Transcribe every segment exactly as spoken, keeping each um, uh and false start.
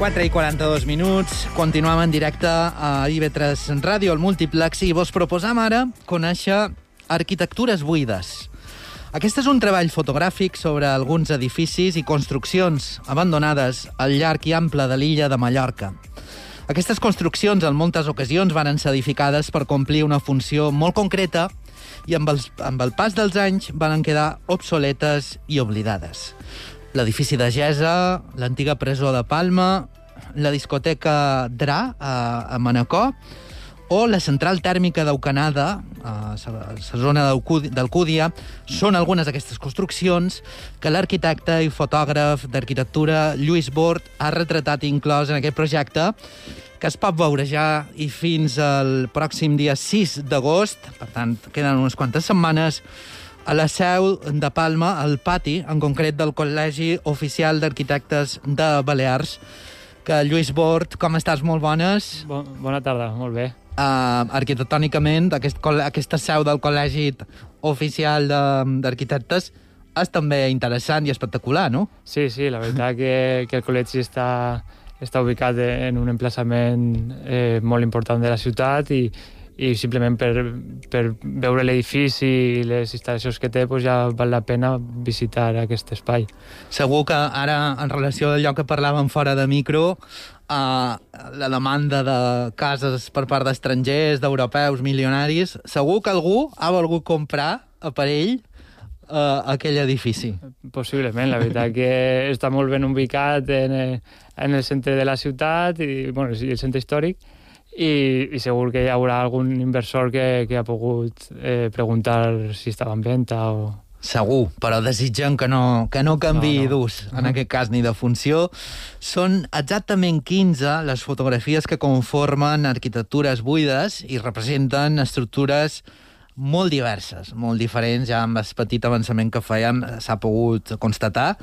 quatre i quaranta-dos minuts. Continuem en directe a I V tres Ràdio, al Múltiplex, i vos proposam ara conèixer arquitectures buides. Aquest és un treball fotogràfic sobre alguns edificis i construccions abandonades al llarg i ample de l'illa de Mallorca. Aquestes construccions, en moltes ocasions, van ser edificades per complir una funció molt concreta i amb, els, amb el pas dels anys van quedar obsoletes i oblidades. L'edifici de Gesa, l'antiga presó de Palma, la discoteca Dra a, a Manacor, o la central tèrmica d'Eucanada, a la zona d'Alcúdia, són algunes d'aquestes construccions que l'arquitecte i fotògraf d'arquitectura Lluís Bort ha retratat i inclòs en aquest projecte, que es pot veure ja i fins al pròxim dia sis d'agost, per tant, queden unes quantes setmanes, a la seu de Palma, al pati, en concret del Col·legi Oficial d'Arquitectes de Balears. Que Lluís Bort, com estàs? Molt bones. Bon, bona tarda, molt bé. Uh, arquitectònicament, aquest, aquesta seu del Col·legi Oficial d'Arquitectes és també interessant i espectacular, no? Sí, sí, la veritat que, que el col·legi està, està ubicat en un emplaçament eh, molt important de la ciutat i i simplement per, per veure l'edifici i les instal·lacions que té doncs ja val la pena visitar aquest espai. Segur que ara, en relació al lloc que parlàvem fora de micro, uh, la demanda de cases per part d'estrangers, d'europeus, milionaris, segur que algú ha volgut comprar a per ell uh, aquell edifici. Possiblement, la veritat que està molt ben ubicat en, en el centre de la ciutat i bueno, el centre històric, I, i segur que hi haurà algun inversor que, que ha pogut eh, preguntar si estava en venda o... Segur, però desitgem que no, que no canviï no, no. d'ús, en uh-huh. aquest cas, ni de funció. Són exactament quinze les fotografies que conformen arquitectures buides i representen estructures molt diverses, molt diferents, ja amb el petit avançament que fèiem s'ha pogut constatar.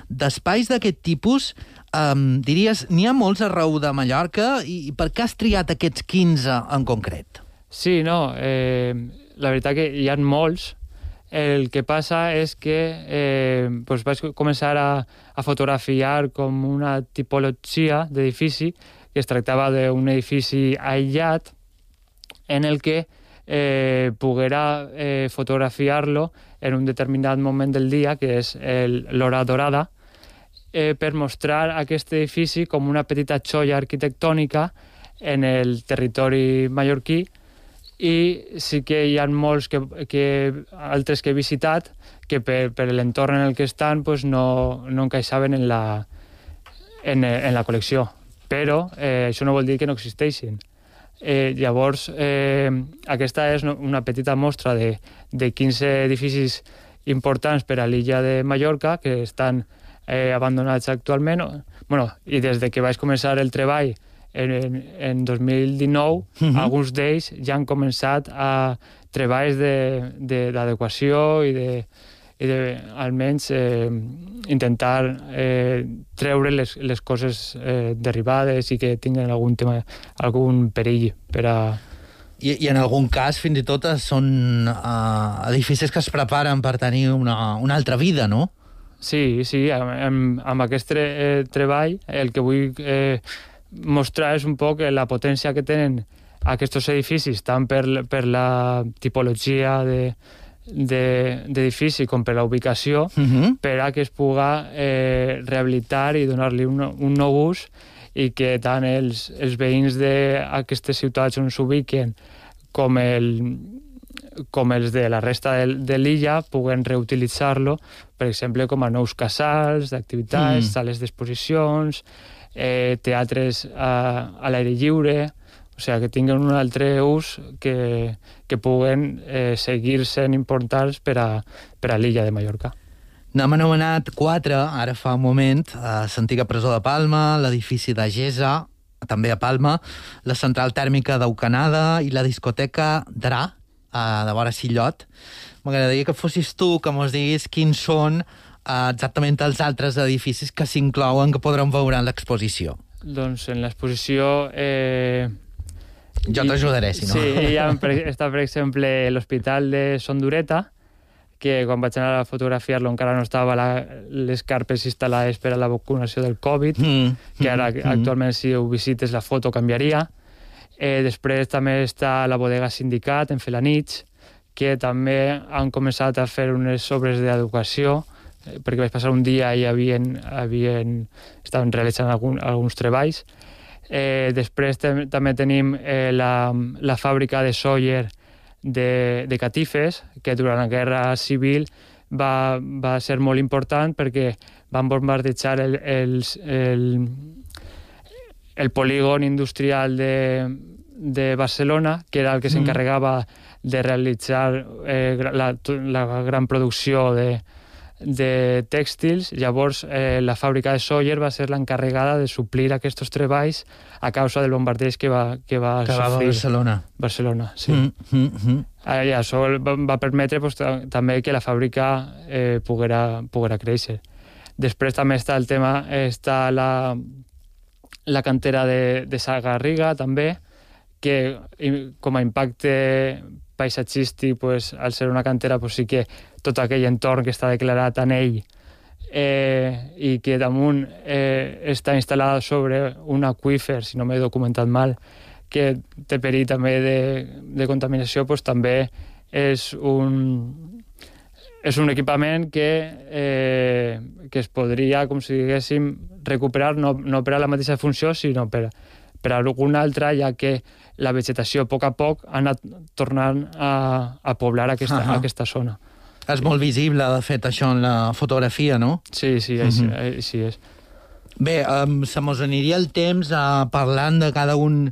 D'espais d'aquest tipus, um, diries, n'hi ha molts arreu de Mallorca i per què has triat aquests quinze en concret? Sí, no, eh, la veritat que hi ha molts. El que passa és que eh, pues vaig començar a, a fotografiar com una tipologia d'edifici, que es tractava d'un edifici aïllat en el que Eh, poguera eh, fotografiar-lo en un determinat moment del dia, que és l'hora dorada, eh, per mostrar aquest edifici com una petita xoia arquitectònica en el territori mallorquí. I sí que hi ha molts que, que, altres que he visitat que per, per l'entorn en el que estan pues no, no encaixaven en la, en, en la col·lecció. Però eh, això no vol dir que no existeixin. Eh, llavors, eh, aquesta és una petita mostra de, de quinze edificis importants per a l'illa de Mallorca que estan eh, abandonats actualment. Bueno, i des de que vaig començar el treball en, en, en dos mil dinou, uh-huh. alguns d'ells ja han començat a treballs d'adequació i de, i de almenys eh, intentar eh, treure les, les coses eh, derivades i que tinguin algun tema, algun perill per a... I, i en algun cas, fins i tot, són uh, edificis que es preparen per tenir una, una altra vida, no? Sí, sí, amb, amb aquest tre, eh, treball el que vull eh, mostrar és un poc la potència que tenen aquests edificis, tant per, per la tipologia de d'edifici com per la ubicació, uh-huh. per a que es puga eh, rehabilitar i donar-li un, un nou ús i que tant els, els veïns d'aquestes ciutats on s'ubiquen com, el, com els de la resta de, de l'illa puguen reutilitzar-lo, per exemple, com a nous casals d'activitats, mm. sales d'exposicions, eh, teatres a, a l'aire lliure... O sigui, que tinguin un altre ús que, que puguen eh, seguir sent importants per a, per a l'illa de Mallorca. N'hem anomenat quatre, ara fa un moment, a l'antiga presó de Palma, l'edifici de Gesa, també a Palma, la central tèrmica d'Eucanada i la discoteca Dra, de vora Sillot. M'agradaria que fossis tu que mos diguis quins són eh, exactament els altres edificis que s'inclouen, que podrem veure en l'exposició. Doncs en l'exposició... Eh... Jo t'ajudaré, si no. Sí, ja està, per exemple, l'Hospital de Sondureta, que quan vaig anar a fotografiar-lo encara no estava la, les carpes instal·lades per a la vacunació del Covid, mm. que ara mm. actualment si ho visites la foto canviaria. Eh, després també està la bodega Sindicat en Felanitx, que també han començat a fer unes obres d'educació, eh, perquè vaig passar un dia i havien, havien, estaven realitzant algun, alguns treballs. Eh, després també tenim eh, la, la fàbrica de Sawyer de, de catifes, que durant la Guerra Civil va, va ser molt important perquè van bombardejar el, el, el, el polígon industrial de, de Barcelona, que era el que s'encarregava de realitzar eh, la, la gran producció de, de tèxtils. Llavors, eh, la fàbrica de Sawyer va ser l'encarregada de suplir aquests treballs a causa del bombardeig que va, que va que sofrir. va a Barcelona. Barcelona, sí. Mm, mm, mm. I això va, va permetre pues, també que la fàbrica eh, poguera, poguera créixer. Després també està el tema, està la, la cantera de, de Sagarriga, també, que com a impacte paisatgístic, pues, al ser una cantera, pues, sí que tot aquell entorn que està declarat en ell eh, i que damunt eh, està instal·lada sobre un aqüífer, si no m'he documentat mal, que té perill també de, de contaminació, pues, també és un, és un equipament que, eh, que es podria, com si diguéssim, recuperar no, no per a la mateixa funció, sinó per, per a alguna altra, ja que la vegetació a poc a poc ha anat tornant a, a poblar aquesta, uh-huh. aquesta zona. És molt visible, de fet, això en la fotografia, no? Sí, sí, uh-huh. així, així és. Bé, um, se mos aniria el temps uh, parlant de cada un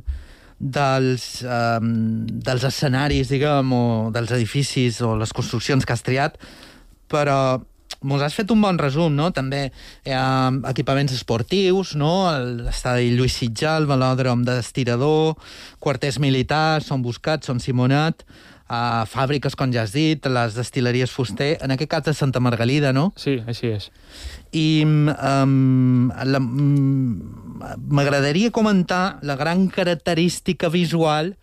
dels, um, dels escenaris, diguem, o dels edificis o les construccions que has triat, però mos has fet un bon resum, no? També hi ha equipaments esportius, no? L'estadi Lluís Sitjar, el velòdrom d'Estirador, quarters militars, Son Buscat, Son Simonet, uh, fàbriques, com ja has dit, les destil·leries Fuster, en aquest cas de Santa Margalida, no? Sí, així és. I um, la, um, m'agradaria comentar la gran característica visual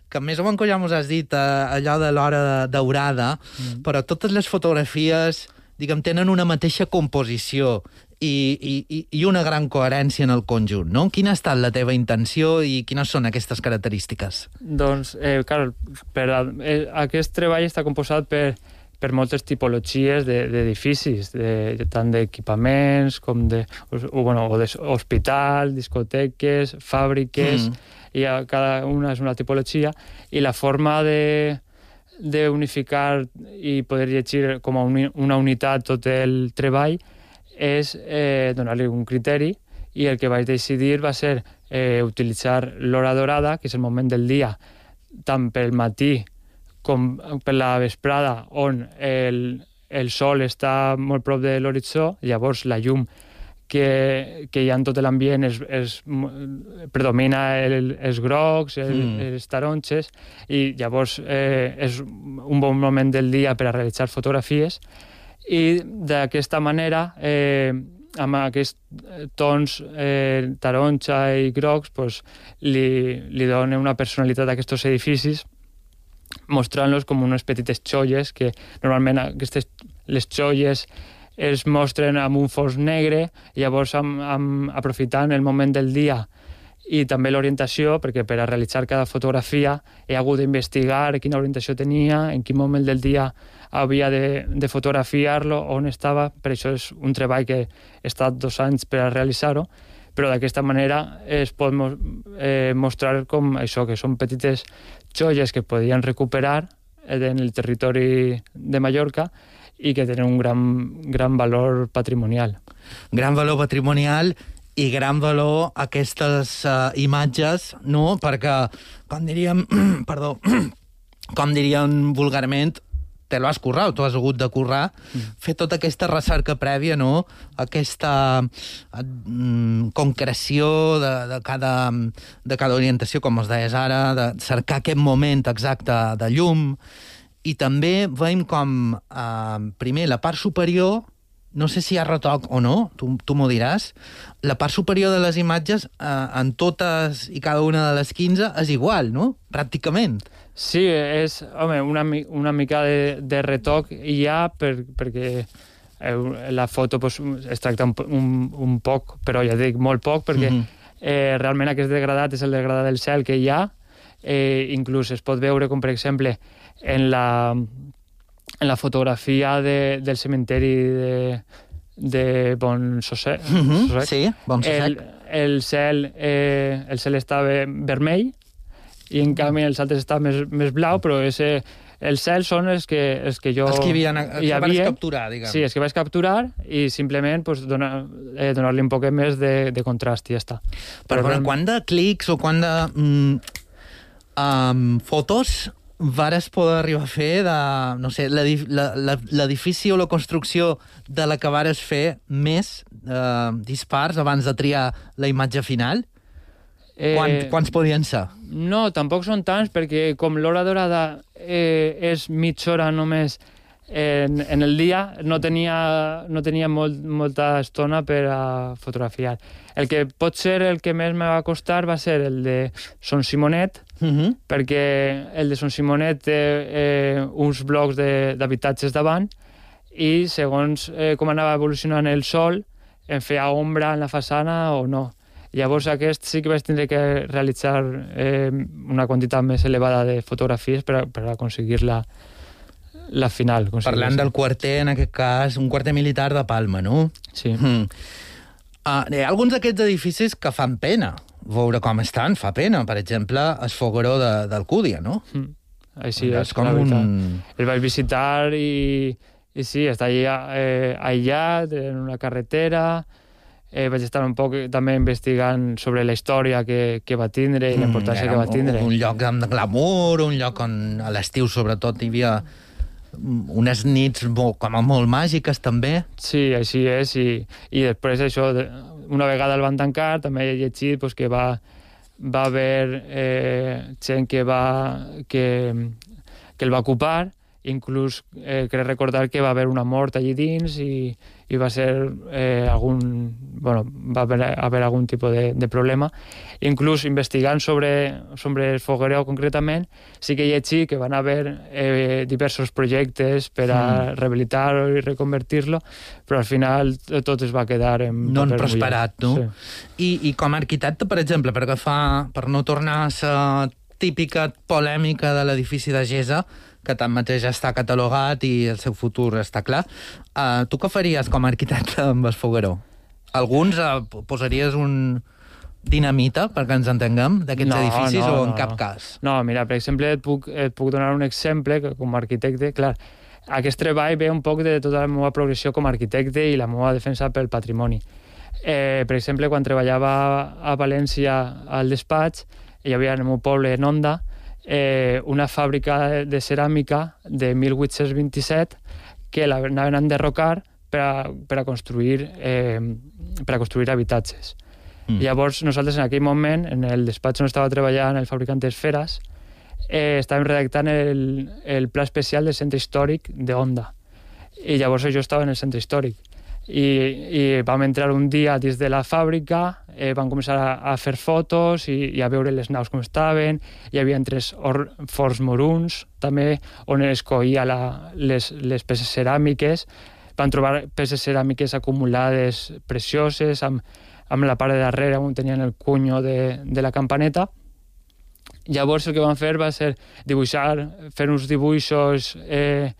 que més o menys ja mos has dit, uh, allò de l'hora daurada, mm. però totes les fotografies, diguem, tenen una mateixa composició i, i, i una gran coherència en el conjunt, no? Quina ha estat la teva intenció i quines són aquestes característiques? Doncs, eh, clar, per a, eh, aquest treball està composat per, per moltes tipologies d'edificis, de, de, tant d'equipaments com de, o, bueno, o d'hospital, discoteques, fàbriques, mm. i cada una és una tipologia, i la forma de d'unificar i poder llegir com a una unitat tot el treball és eh, donar-li un criteri, i el que vaig decidir va ser eh, utilitzar l'hora dorada, que és el moment del dia, tant pel matí com per la vesprada, on el, el sol està molt prop de l'horitzó, llavors la llum que, que hi ha en tot l'ambient es, es, predomina el, els grocs, el, mm. els taronges, i llavors eh, és un bon moment del dia per a realitzar fotografies, i d'aquesta manera, eh, amb aquests tons eh, taronja i grocs, pues, li, li dona una personalitat a aquests edificis, mostrant-los com unes petites xolles, que normalment aquestes, les xolles es mostren amb un fons negre, i llavors amb, amb, aprofitant el moment del dia i també l'orientació, perquè per a realitzar cada fotografia he hagut d'investigar quina orientació tenia, en quin moment del dia havia de, de fotografiar-lo, on estava. Per això és un treball que he estat dos anys per a realitzar-ho, però d'aquesta manera es pot eh, mostrar com això, que són petites xolles que podien recuperar en el territori de Mallorca i que tenen un gran, gran valor patrimonial. Gran valor patrimonial i gran valor aquestes uh, imatges, no? Perquè, com diríem, perdó, com diríem vulgarment, te lo has currat, tu has hagut de currar, mm. fer tota aquesta recerca prèvia, no? Aquesta mm, concreció de, de, cada, de cada orientació, com es deies ara, de cercar aquest moment exacte de llum. I també veiem com, eh, primer, la part superior, no sé si hi ha retoc o no, tu, tu m'ho diràs, la part superior de les imatges, eh, en totes i cada una de les quinze, és igual, no? Pràcticament. Sí, és home, una, una mica de, de retoc hi ha per, perquè la foto pues, es tracta un, un, un poc, però ja dic molt poc, perquè mm-hmm. eh, realment aquest degradat és el degradat del cel que hi ha. Eh, inclús es pot veure com, per exemple, en la, en la fotografia de, del cementeri de, de Bonsossec. Mm-hmm. Sí, El, Bonsossec. el, cel, eh, el cel estava vermell, i en canvi els altres està més, més blau, però ese, els cels són els que, els que jo... Els que, havien, els que havia, vaig capturar, diguem. Sí, els que vaig capturar i simplement pues, donar, eh, donar-li un poc més de, de contrast i ja està. Però, però realment... quant de clics o quant de mm, um, fotos vares poder arribar a fer de, no sé, l'edifici o la construcció de la que vares fer més eh, dispars abans de triar la imatge final? Quant, eh, quants podien ser? No, tampoc són tants, perquè com l'hora dorada eh, és mitja hora només en, en el dia, no tenia, no tenia molt, molta estona per a fotografiar. El que pot ser el que més me va costar va ser el de Son Simonet, uh-huh. perquè el de Son Simonet té eh, uns blocs d'habitatges davant i segons eh, com anava evolucionant el sol, em feia ombra en la façana o no. Llavors aquest sí que vaig tindre que realitzar eh, una quantitat més elevada de fotografies per, a, per aconseguir la, la final. Parlant del quarter, en aquest cas, un quarter militar de Palma, no? Sí. Mm. Uh, hi ha alguns d'aquests edificis que fan pena. Veure com estan fa pena. Per exemple, el Fogueró de, d'Alcúdia, no? Mm. Així és, és com un... El vaig visitar i, i sí, està allà, eh, aïllat, en una carretera... Eh, vaig estar un poc també investigant sobre la història que, que va tindre i la importància mm, que va tindre. Un, un lloc amb glamour, un lloc on a l'estiu sobretot hi havia unes nits molt, com a molt màgiques també. Sí, així és, i, i després això, una vegada el van tancar, també he llegit pues, que va, va haver eh, gent que, va, que, que el va ocupar, inclús eh, crec recordar que va haver una mort allí dins i, i va ser eh, algun... Bueno, va haver, haver algun tipus de, de problema. Inclús investigant sobre, sobre el Fogueró concretament, sí que hi ha llegit que van haver eh, diversos projectes per a mm. rehabilitar-lo i reconvertir-lo, però al final tot es va quedar en no han prosperat, no? Sí. I, I com a arquitecte, per exemple, per agafar, per no tornar a la típica polèmica de l'edifici de Gesa, que tanmateix ja està catalogat i el seu futur està clar. Uh, tu què faries com a arquitecte amb el Fogueró? Alguns uh, posaries un dinamita, perquè ens entenguem, d'aquests no, edificis no, o en no, cap no. cas? No, mira, per exemple, et puc, et puc donar un exemple que com a arquitecte, clar, aquest treball ve un poc de tota la meva progressió com a arquitecte i la meva defensa pel patrimoni. Eh, per exemple, quan treballava a València al despatx, hi havia en el meu poble, en Onda, eh, una fàbrica de ceràmica de mil vuit-cents vint-i-set que l'anaven a enderrocar per a, per a construir eh, per a construir habitatges. Mm. Llavors, nosaltres en aquell moment, en el despatx on estava treballant el fabricant d'esferes, eh, estàvem redactant el, el pla especial del centre històric d'Onda. I llavors jo estava en el centre històric. I, i vam entrar un dia dins de la fàbrica, eh, vam començar a, a fer fotos i, i a veure les naus com estaven. Hi havia tres or, forts moruns, també, on es coïa la, les, les peces ceràmiques. Van trobar peces ceràmiques acumulades precioses, amb, amb la part de darrere on tenien el cunyo de, de la campaneta. Llavors el que van fer va ser dibuixar, fer uns dibuixos eh,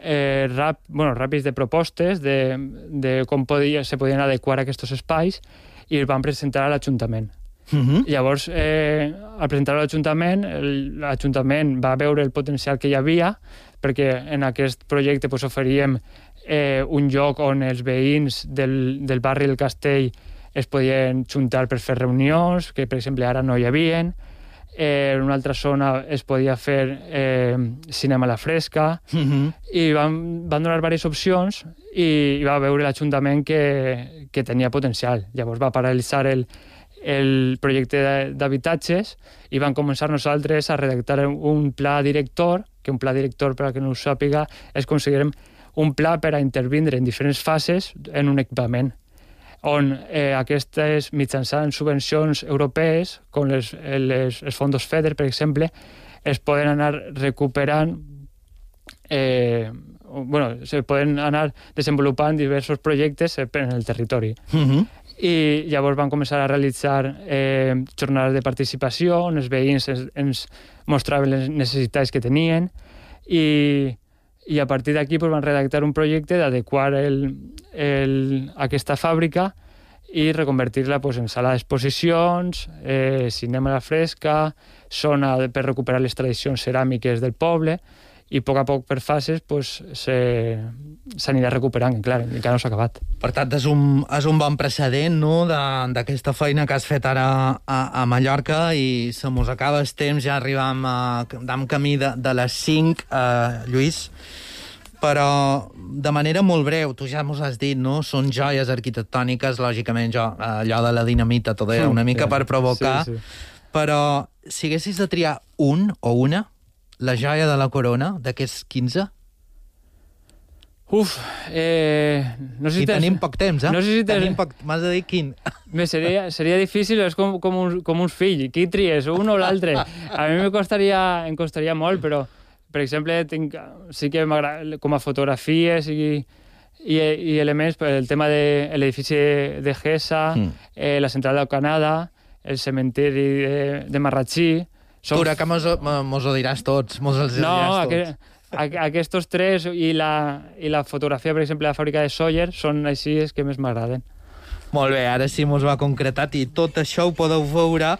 eh, rap, bueno, ràpids de propostes de, de com podia, se podien adequar aquests espais i els van presentar a l'Ajuntament. Uh-huh. Llavors, eh, al presentar-ho a l'Ajuntament, l'Ajuntament va veure el potencial que hi havia, perquè en aquest projecte pues, oferíem eh, un lloc on els veïns del, del barri del Castell es podien juntar per fer reunions, que per exemple ara no hi havien. Eh, en una altra zona es podia fer eh, cinema a la fresca, uh-huh. i van, van donar diverses opcions i, i va veure l'Ajuntament que, que tenia potencial. Llavors va paralitzar el, el projecte d'habitatges i van començar nosaltres a redactar un pla director, que un pla director, per a que no ho sàpiga, és considerem un pla per a intervindre en diferents fases en un equipament, on eh, aquestes, mitjançant subvencions europees, com les, les, els fons FEDER, per exemple, es poden anar recuperant, eh, bueno, se poden anar desenvolupant diversos projectes en el territori. Uh-huh. I llavors van començar a realitzar eh, jornades de participació on els veïns ens, ens mostraven les necessitats que tenien i, i a partir d'aquí pues, van redactar un projecte d'adequar el, el, aquesta fàbrica i reconvertir-la pues, en sala d'exposicions, eh, cinema a la fresca, zona per recuperar les tradicions ceràmiques del poble i a poc a poc per fases pues, s'anirà recuperant, i clar, encara no s'ha acabat. Per tant, és un, és un bon precedent no, d'aquesta feina que has fet ara a, a Mallorca i se mos acaba el temps, ja arribam a, amb camí de, de les cinc, eh, Lluís, però de manera molt breu, tu ja mos has dit, no? Són joies arquitectòniques, lògicament jo, allò de la dinamita, tot era una mica per provocar, sí, sí. Però si haguessis de triar un o una, la joia de la corona, d'aquests quinze? Uf, eh... No sé si I tenim poc temps, eh? No sé si tenim poc... M'has de dir quin. Me seria, seria difícil, és com, com, un, com uns fills. Qui tries, un o l'altre? A mi me costaria, em costaria molt, però, per exemple, tinc, sí que m'agrada, com a fotografies i, i, i elements, el tema de l'edifici de Gesa, mm. eh, la central del Canadà, el cementiri de, de Marratxí. Som... Tu, que mos, mos ho diràs tots, mos els no, diràs tots. No, aqu aquests tres i la, i la fotografia, per exemple, de la fàbrica de Sóller, són així els que més m'agraden. Molt bé, ara sí mos va concretat i tot això ho podeu veure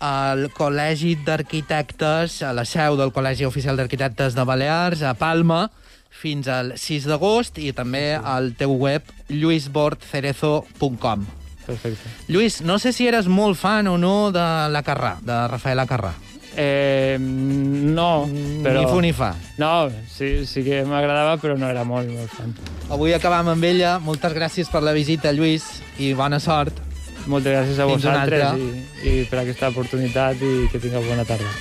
al Col·legi d'Arquitectes, a la seu del Col·legi Oficial d'Arquitectes de Balears, a Palma, fins al sis d'agost i també al teu web lluís bort cerezo punt com. Perfecte. Lluís, no sé si eres molt fan o no de la Carrà, de Rafael Acarrà. Eh, no, però... Ni fu ni fa. No, sí, sí que m'agradava, però no era molt, molt fan. Avui acabam amb ella. Moltes gràcies per la visita, Lluís, i bona sort. Moltes gràcies a vosaltres i, i per aquesta oportunitat i que tingueu bona tarda.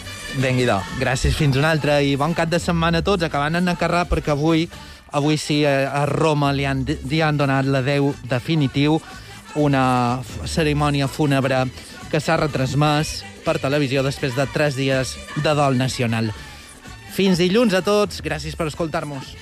Vengui-do. Gràcies, fins una altra i bon cap de setmana a tots. Acabant en Acarrà perquè avui, avui sí, a Roma li han, li han donat l'adeu definitiu, una cerimònia fúnebre que s'ha retransmès per televisió després de tres dies de dol nacional. Fins dilluns a tots, gràcies per escoltar-nos.